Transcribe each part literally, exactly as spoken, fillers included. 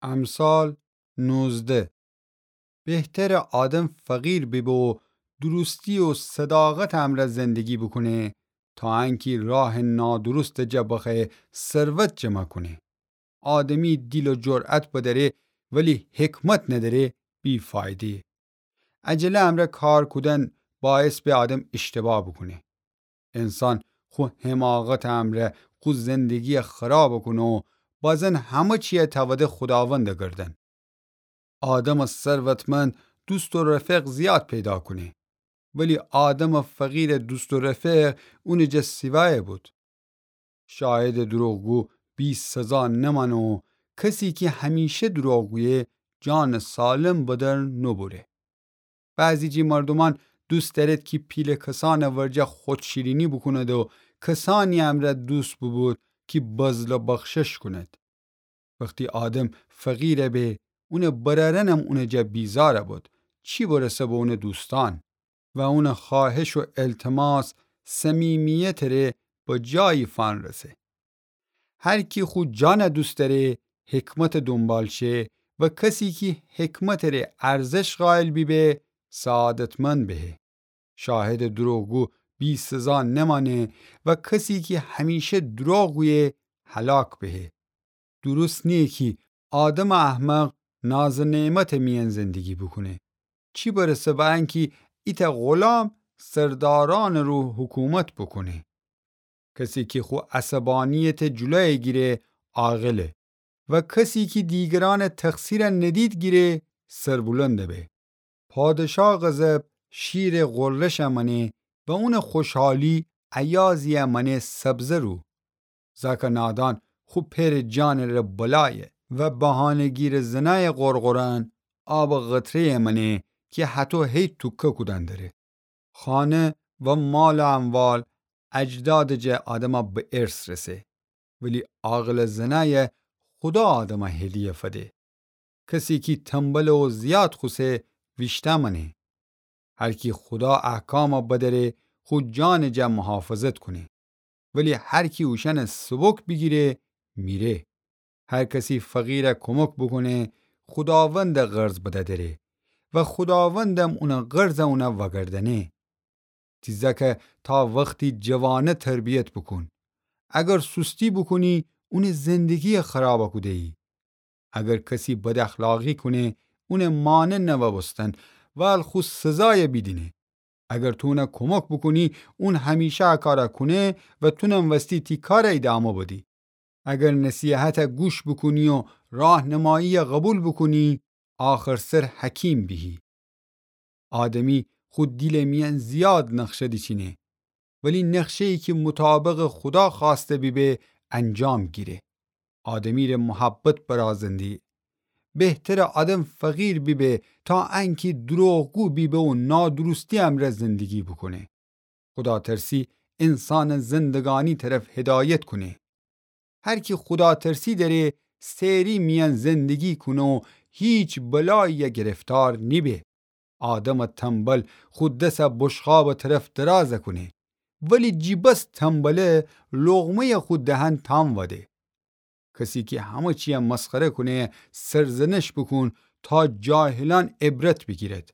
امثال نوزده. بهتره آدم فقیر بیبه و درستی و صداقتٚ امرأ زندگی بوکونه، تا انکی راهٚ نادرستٚ جا بخوأیه ثروت جمع کونه. آدمی دیل و جرأت بدأره، ولی حکمت ندأره، بی‌فایده‌یه. عجله امرأ کار کودن باعث به آدم اشتباه بوکونه. انسان خو حماقتٚ امرأ خو زندگیَ خراب کونه و بازن همه چیَ توده خوداوندٚ گردن. آدمٚ ثروتمند دوست و رفیق زیاد پیدا کونه، ولی آدمٚ فقیرٚ دوست و رفیق اونٚ جا سیوایه بود. شاهدٚ دروغگو بی‌سزا نمأنه و کسی کی همیشه دروغ گویه، جانٚ سالم به در نوبره. بعضی جٚه مردومأن دوست دأرید کی پیله کسأنٚ ورجه خودشیرینی بوکوند و کسأنی امرأ دوست بوبود کی بذل و بخشش کونید. وختی آدم فقیر به، اونٚ برأرأنم اونٚ جا بیزار بود، چی برسه به اونٚ دوستأن. و اونٚ خواهش و التماس صمیمیتٚ ره به جایی فأنرسه. هر کی خو جانَ دوست دأره، حکمتٚ دونبال شه و کسی کی حکمتٚ ره ارزش قائل بیبه، سعادتمند بهه. شاهدٚ دروغگو بی‌سزا نمأنه و کسی کی همیشه دروغ گویه، هلاک بهه. درست نییه کی آدمٚ احمق ناز و نعمتٚ میأن زندگی بوکونه، چی برسه به انکی ایتأ غلام سردارأنٚ رو حکومت بوکونه. کسی کی خو عصبانیتٚ جلویَ گیره، عاقله و کسی کی دیگرأنٚ تقصیرَ ندید گیره، سربلند به. پادشاه غضب شیرٚ غرشَ مأنه و اونٚ خوشحالی ایازی‌یَ مأنه سبزه رو. زأکٚ نادان خو پئرٚ جانٚ ره بلایه و بهانه‌گیرٚ زنأیٚ قرقرأن آبٚ قطره‌یَ مأنه کی هطو هی توکه کودن دره. خانه و مال و اموال اجدادٚ جا آدمَ به ارث رسه، ولی عاقلٚ زنأیَ خودا آدمَ هدیه فده. کسی کی تنبله و زیاد خوسه، ویشتأ مأنه. هر کی خودا احکامَ بدأره، خو جانٚ جا محافظت کونه، ولی هر کی اوشأنَ سبک بیگیره، میره. هر کسی فقیرَ کمک بوکونه، خوداوندَ قرض بدأ دره و خوداوندم اونٚ قرضَ اونَ وأگردأنه. تی زأکَ تا وختی جوانه تربیت بوکون. اگر سستی بوکونی، اونٚ زندگیَ خرابَ کوده‌یی. اگر کسی بداخلاقی کونه، اونٚ مانع نوأ بوستن، ول خو سزایَ بیدینه. اگر تو اونَ کمک بوکونی، اون همیشه ا کارَ کونه و تونم وستی تی کارَ ایدامه بدی. اگر نصیحتَ گوش بوکونی و راهنماییَ قبول بوکونی، آخرسر حکیم بیهی. آدمی خو دیلٚ میأن زیاد نقشه دیچینه، ولی نقشه‌یی کی مطابقٚ خودا خوأسته بیبه، انجام گیره. آدمی ره محبت برازندی. بهتره آدم فقیر بیبه تا انکی دروغگو بیبه و نادرستی امرأ زندگی بوکونه. خوداترسی انسانَ زندگانی طرف هدایت کونه. هر کی خوداترسی دأره، سئری میأن زندگی کونه و هیچ بلایی‌یَ گرفتار نیبه. آدمٚ تنبل خو دسَ بشقابٚ طرف درازَ کونه، ولی جی بس تنبله لقمه‌یَ خو دهن تام وده. کسی کی همه چیَ مسخره کونه، سرزنش بوکون تا جاهلأن عبرت بیگیرد.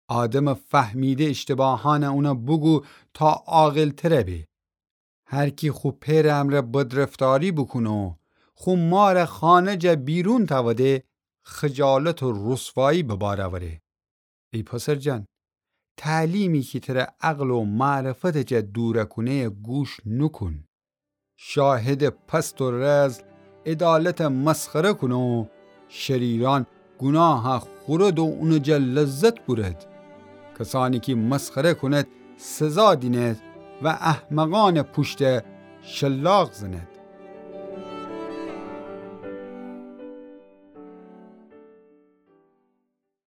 آدمٚ فهمیده اشتباهأنَ اونَ بوگو تا عاقل‌ترَ به. هر کی خو پئرٚ امرأ بدرفتاری بوکونه و خو مارَ خانه جا بیرون تأوده، خجالت و رسوایی به بار اوره. ای پسر جان، تعلیمی کی ترَ عقل و معرفتٚ جا دورَ کونه‌یَ گوش نوکون. شاهدٚ پست و رذل عدالتَ مسخره کونه و شریرأن گوناهَ خورد و اونٚ جا لذت بورد. کسأنی کی مسخره کونید سزا دینید و احمقأنٚ پوشتَ شلاق زنید.